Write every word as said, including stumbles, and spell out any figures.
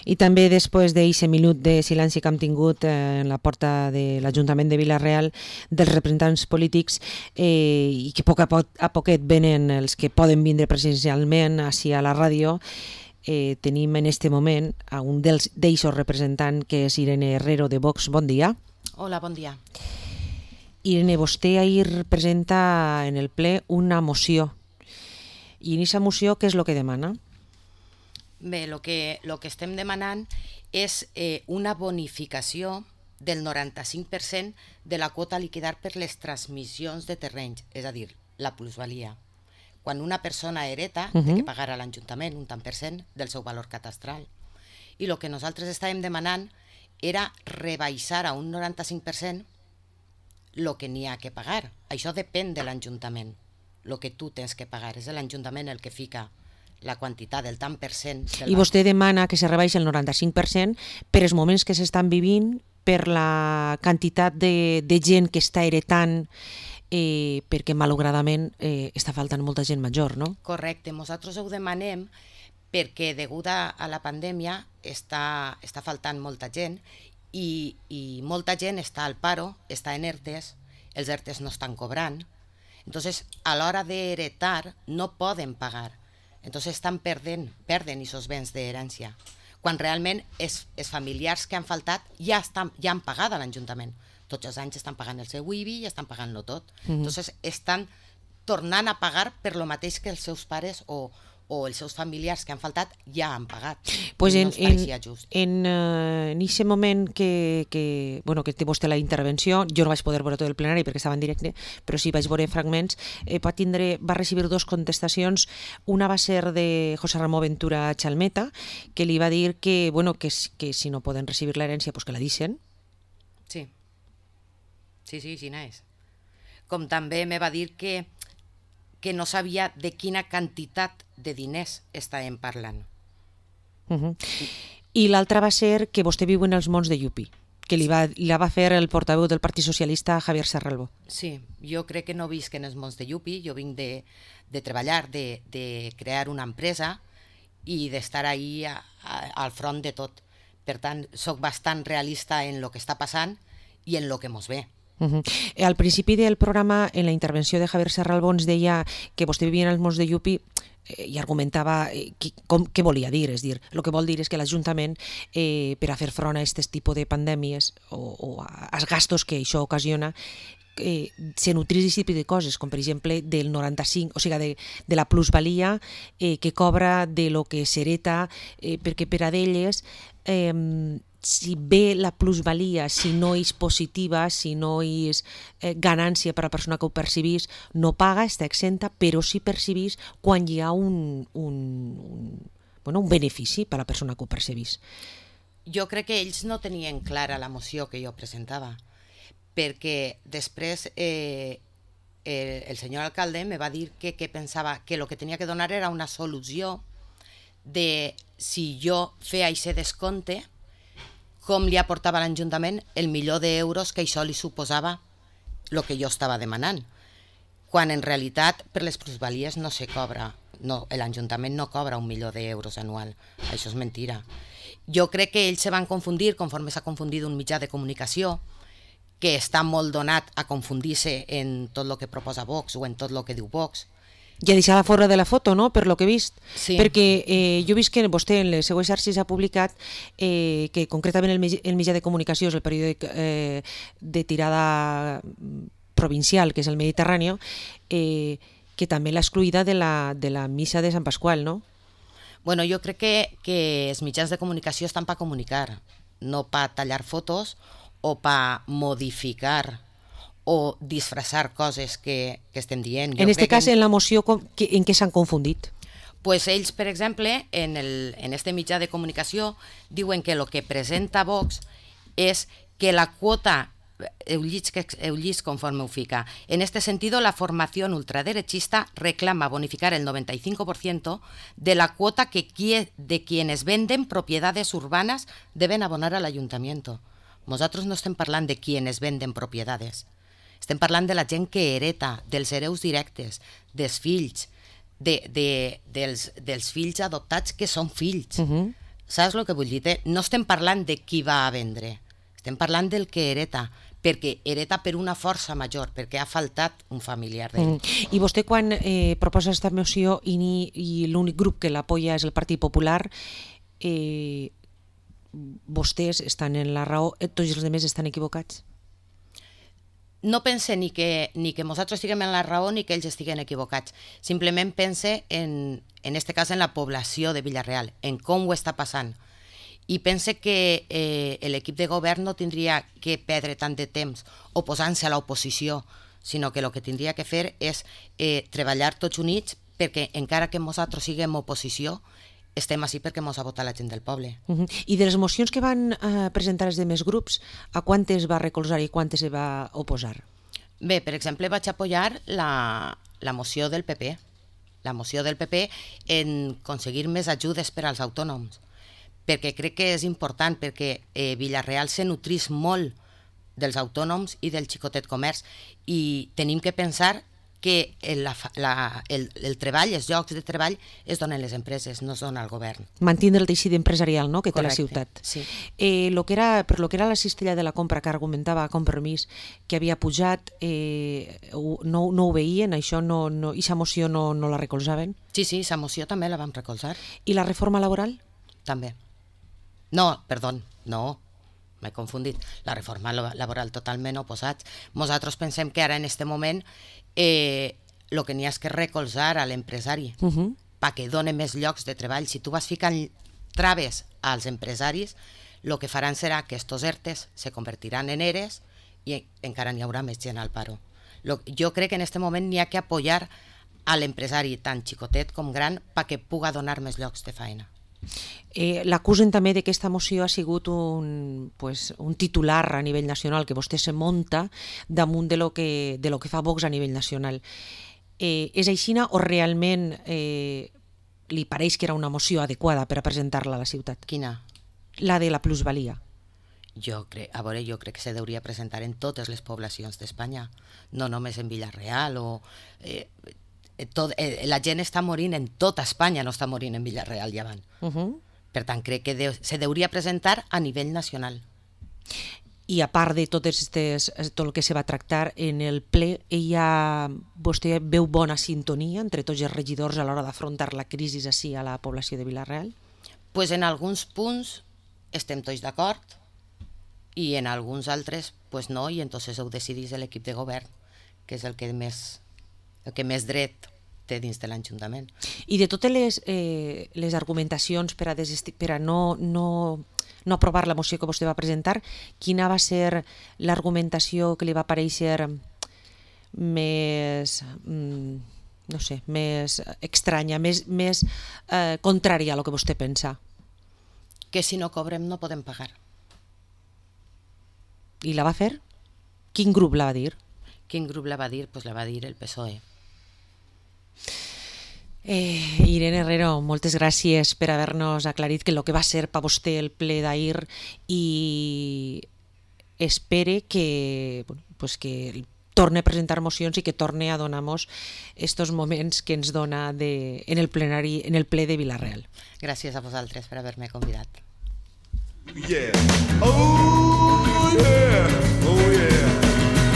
I també després d'aquest minut de silenci que hem tingut eh, en la porta de l'Ajuntament de Vila-real dels representants polítics eh, i que a poc a, poc a poquet venen els que poden vindre presencialment així a la ràdio, eh, tenim en este moment a un dels d'eixos representants que és Irene Herrero de Vox. Bon dia. Hola, bon dia. Irene, vostè ahir presenta en el ple una moció. I en aquesta moció què és el que demana? Bé, el que, lo que estem demanant és eh, una bonificació del noranta-cinc per cent de la quota a liquidar per les transmissions de terrenys, és a dir, la plusvalia. Quan una persona hereta, uh-huh. té que pagar a l'Ajuntament un tant per cent del seu valor catastral. I el que nosaltres estàvem demanant era rebaixar a un noranta-cinc per cent el que n'hi ha que pagar. Això depèn de l'Ajuntament. El que tu tens que pagar és l'Ajuntament el que fica la quantitat del tant per cent. I vostè demana que se rebaixi el noranta-cinc per cent per els moments que s'estan vivint, per la quantitat de, de gent que està heretant, eh, perquè malauradament eh, està faltant molta gent major, no? Correcte, nosaltres ho demanem perquè degut a la pandèmia està, està faltant molta gent i, i molta gent està al paro, està en ERTES, els ERTES no estan cobrant, entonces a l'hora d'heretar no poden pagar. Entonces estan perdent, perden aquests béns d'herència, quan realment els, els familiars que han faltat ja, estan, ja han pagat a l'Ajuntament. Tots els anys estan pagant el seu I B I i estan pagant-lo tot. Mm-hmm. Entonces estan tornant a pagar per lo mateix que els seus pares o, o els seus familiars que han faltat ja han pagat. Pues no en, ens pareixia just. En aquest uh, moment que, que, bueno, que té vostè la intervenció, jo no vaig poder veure tot el plenari perquè estava en directe, però sí vaig veure fragments, eh, va, tindre, va recibir dos contestacions. Una va ser de José Ramón Ventura Chalmeta, que li va dir que, bueno, que, que si no poden recibir l'herència, pues que la deixen. Sí, sí, sí, sí, és. Com també me va dir que que no sabia de quina quantitat de diners estàvem parlant. Uh-huh. I l'altra va ser que vostè viu en els Monts de Yupi, que li va, la va fer el portaveu del Partit Socialista, Javier Serralbo. Sí, jo crec que no visc en els Monts de Yupi, jo vinc de, de treballar, de, de crear una empresa i d'estar ahí a, a, al front de tot. Per tant, soc bastant realista en el que està passant i en el que mos ve. Uh-huh. Al principi del programa, en la intervenció de Javier Serralbo, ens deia que vostè vivia en els Monts de Yupi eh, i argumentava eh, qui, com, què volia dir. És dir, el que vol dir és que l'Ajuntament, eh, per a fer front a aquest tipus de pandèmies o, o als gastos que això ocasiona, eh, se nutrís d'aquest tipus de coses, com per exemple del noranta-cinc, o sigui, de, de la plusvalia eh, que cobra de lo que s'hereta, eh, perquè per a d'elles eh, si ve la plusvalia, si no és positiva, si no és eh, ganància per a la persona que ho percebís, no paga, està exenta, però sí percebís quan hi ha un, un, un, bueno, un benefici per a la persona que ho percebís. Jo crec que ells no tenien clara la moció que jo presentava, perquè després eh, el, el senyor alcalde me va dir que, que pensava que el que tenia que donar era una solució de si jo feia aquest descompte, com li aportava a l'Ajuntament el milió d'euros que això li suposava el que jo estava demanant. Quan en realitat per les plusvalies no se cobra, no, l'Ajuntament no cobra un milió d'euros anual, això és mentira. Jo crec que ells se van confundir conforme s'ha confundit un mitjà de comunicació que està molt donat a confundir-se en tot el que proposa Vox o en tot el que diu Vox. I a deixar fora de la foto, no?, per lo que he vist. Sí. Perquè eh, jo he vist que vostè en les seues xarxes ha publicat eh, que concretament el, el mitjà de comunicació és el periòdic eh, de tirada provincial, que és el Mediterrani, eh, que també l'ha excluïda de la, de la missa de Sant Pasqual, no? Bueno, jo crec que, que els mitjans de comunicació estan per comunicar, no per tallar fotos o per modificar o disfressar coses que, que estem dient. Jo en aquest cas, en... en la moció, que, en què s'han confundit? Pues ells, per exemple, en, el, en este mitjà de comunicació diuen que el que presenta Vox és que la quota, heu llit, heu llit conforme ho fica, en este sentido la formación ultraderechista reclama bonificar el noventa y cinco por ciento de la cuota que de quienes venden propiedades urbanas deben abonar al ayuntamiento. Nosaltres no estem parlant de quienes venden propiedades. Estem parlant de la gent que hereta, dels hereus directes, dels fills, de, de, dels, dels fills adoptats que són fills. Uh-huh. Saps el que vull dir? No estem parlant de qui va a vendre, estem parlant del que hereta, perquè hereta per una força major, perquè ha faltat un familiar d'ell. Mm. I vostè, quan eh, proposa aquesta moció i, ni, i l'únic grup que l'apoya és el Partit Popular, eh, vostès estan en la raó, tots els altres estan equivocats? No pense ni que, ni que nosaltres estiguem en la raó ni que ells estiguen equivocats. Simplement pense, en, en este cas, en la població de Vila-real, en com ho està passant. I pense que eh, l'equip de govern no tindria que perdre tant de temps oposant-se a l'oposició, sinó que el que tindria que fer és eh, treballar tots units, perquè encara que nosaltres siguem oposició, estem així perquè mos ha votat la gent del poble. Uh-huh. I de les mocions que van uh, presentar els demés grups, a quantes va recolzar i quantes se va oposar? Bé, per exemple, vaig apoyar la, la moció del P P, la moció del P P en aconseguir més ajudes per als autònoms, perquè crec que és important, perquè eh, Vila-real se nutrís molt dels autònoms i del xicotet comerç, i tenim que pensar que el, la, el, el treball, els llocs de treball es donen les empreses, no es dona al govern. Mantindre el teixit empresarial, no?, que té la ciutat. Sí. Eh, lo que era, per lo que era la cistella de la compra que argumentava Compromís, que havia pujat, eh, no, no ho veien, això no, no, i sa moció no, no la recolzaven? Sí, sí, sa moció també la vam recolzar. I la reforma laboral? També. No, perdó, no, m'he confundit. La reforma laboral totalment oposats. Nosaltres pensem que ara en este moment eh, lo que n'hi ha és que recolzar a l'empresari uh-huh. perquè doni més llocs de treball. Si tu vas ficant traves als empresaris, el que faran serà que estos ERTEs se convertiran en ERES i encara n'hi haurà més gent al paro. Lo, jo crec que en este moment n'hi ha que apoyar a l'empresari tant xicotet com gran perquè puga donar més llocs de feina. Eh, L'acusen també de que aquesta moció ha sigut un, pues, un titular a nivell nacional, que vostè se munta damunt de lo que, de lo que fa Vox a nivell nacional. Eh, és aixina o realment eh, li pareix que era una moció adequada per a presentar-la a la ciutat? Quina? La de la plusvalia. Jo crec, a veure, jo crec que se deuria presentar en totes les poblacions d'Espanya, no només en Vila-real o... Eh, Tot, eh, la gent està morint en tota Espanya, no està morint en Vila-real i avant. Uh-huh. Per tant, crec que deu, se deuria presentar a nivell nacional. I a part de totes estes, tot el que se va tractar en el ple, ella, vostè veu bona sintonia entre tots els regidors a l'hora d'afrontar la crisi així a la població de Vila-real? Pues en alguns punts estem tots d'acord i en alguns altres pues no, i entonces ho decidís l'equip de govern, que és el que més... el que més dret té dins de l'Ajuntament. I de totes les, eh, les argumentacions per a, desesti- per a no, no, no aprovar la moció que vostè va presentar, quina va ser l'argumentació que li va parèixer més, mm, no sé, més estranya, més, més eh, contrària a lo que vostè pensa? Que si no cobrem no podem pagar. I la va fer? Quin grup la va dir? Quin grup la va dir? Pues la va dir el P S O E. Eh, Irene Herrero, moltes gràcies per haver-nos aclarit que el que va ser per vostè el ple d'ahir, i espere que, bueno, pues que torne a presentar mocions i que torne a donar-nos estos moments que ens dona de, en el plenari, en el ple de Vila-real. Gràcies a vosaltres per haver-me convidat. Yeah. Oh, yeah.